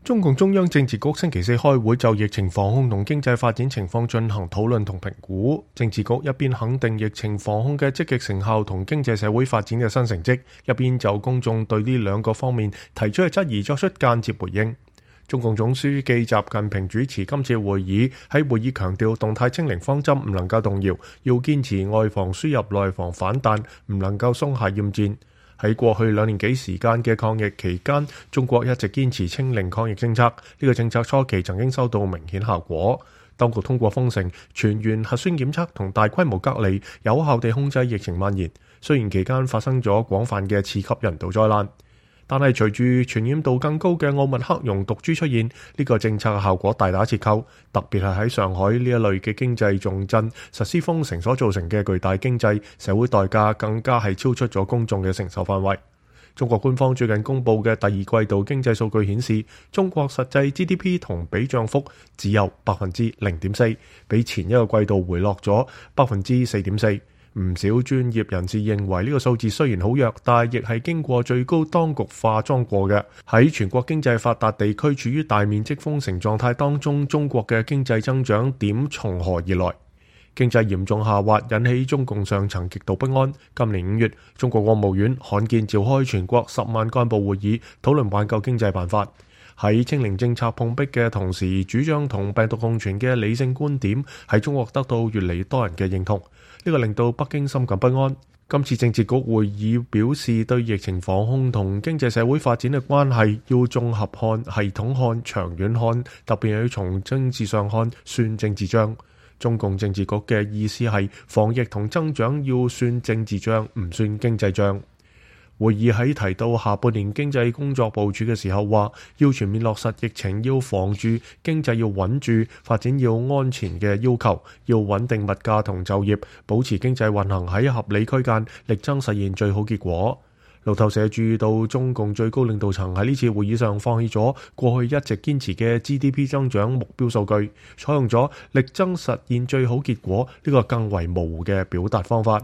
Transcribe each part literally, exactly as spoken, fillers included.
中共中央政治局星期四開會就疫情防控同經濟發展情況進行討論同評估。政治局一邊肯定疫情防控嘅積極成效同經濟社會發展嘅新成績，一邊就公眾對呢兩個方面提出嘅質疑作出間接回應。中共總書記習近平主持今次會議，喺會議強調動態清零方針唔能夠動搖，要堅持外防輸入內防反彈，唔能夠鬆懈厭戰。喺過去兩年幾時間嘅抗疫期間，中國一直堅持清零抗疫政策。呢個政策初期曾經收到明顯效果，當局通過封城、全員核酸檢測同大規模隔離，有效地控制疫情蔓延。雖然期間發生咗廣泛嘅次級人道災難，但係隨住傳染度更高嘅奧密克戎毒株出現，呢個政策嘅效果大打折扣。特別係喺上海呢一類嘅經濟重鎮實施封城所造成嘅巨大經濟社會代價，更加係超出咗公眾嘅承受範圍。中國官方最近公布嘅第二季度經濟數據顯示，中國實際 G D P 同比漲幅只有百分之零點四，比前一個季度回落咗百分之四點四。唔少專業人士認為呢個數字雖然好弱，但係亦係經過最高當局化妝過嘅。喺全國經濟發達地區處於大面積封城狀態當中，中國嘅經濟增長點從何而來？經濟嚴重下滑引起中共上層極度不安。今年五月，中國國務院罕見召開全國十萬幹部會議，討論挽救經濟辦法。喺清零政策碰壁嘅同時，主張同病毒共存嘅理性觀點喺中國得到越嚟越多人嘅認同，呢個令到北京深感不安。今次政治局會議表示，對疫情防控同經濟社會發展嘅關係要綜合看、系統看、長遠看，特別係要從政治上看，算政治帳。中共政治局嘅意思係，防疫同增長要算政治帳，唔算經濟帳。會議喺提到下半年經濟工作部署嘅時候話，要全面落實疫情要防住、經濟要穩住、發展要安全嘅要求，要穩定物價同就業，保持經濟運行喺合理區間，力爭實現最好結果。路透社注意到，中共最高領導層喺呢次會議上放棄咗過去一直堅持嘅 G D P 增長目標數據，採用咗力爭實現最好結果呢個更為模糊嘅表達方法。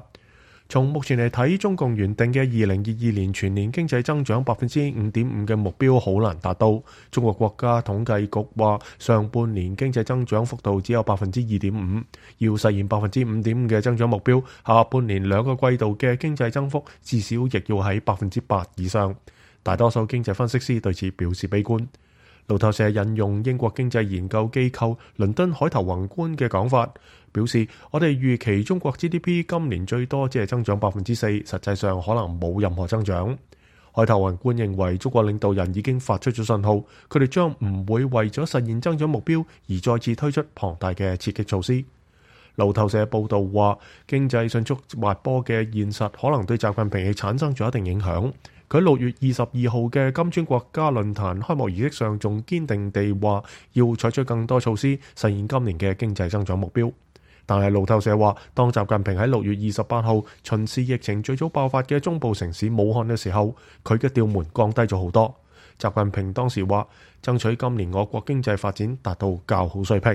從目前嚟睇，中共原定嘅二零二二年全年經濟增長百分之五點五嘅目標好難達到。中國國家統計局話，上半年經濟增長幅度只有百分之二點五，要實現百分之五點五嘅增長目標，下半年兩個季度嘅經濟增幅至少亦要喺百分之八以上。大多數經濟分析師對此表示悲觀。路透社引用英國經濟研究機構倫敦海頭宏觀嘅講法，表示我哋預期中國 G D P 今年最多只係增長百分之四，實際上可能冇任何增長。海頭宏觀認為中國領導人已經發出咗信號，佢哋將唔會為咗實現增長目標而再次推出龐大嘅刺激措施。路透社報導話，經濟迅速滑坡嘅現實可能對習近平亦產生咗一定影響。佢喺六月二十二號嘅金磚國家論壇開幕儀式上，仲堅定地話要採取更多措施實現今年嘅經濟增長目標。但係路透社話，當習近平喺六月二十八號巡視疫情最早爆發嘅中部城市武漢嘅時候，佢嘅調門降低咗好多。習近平當時話，爭取今年我國經濟發展達到較好水平。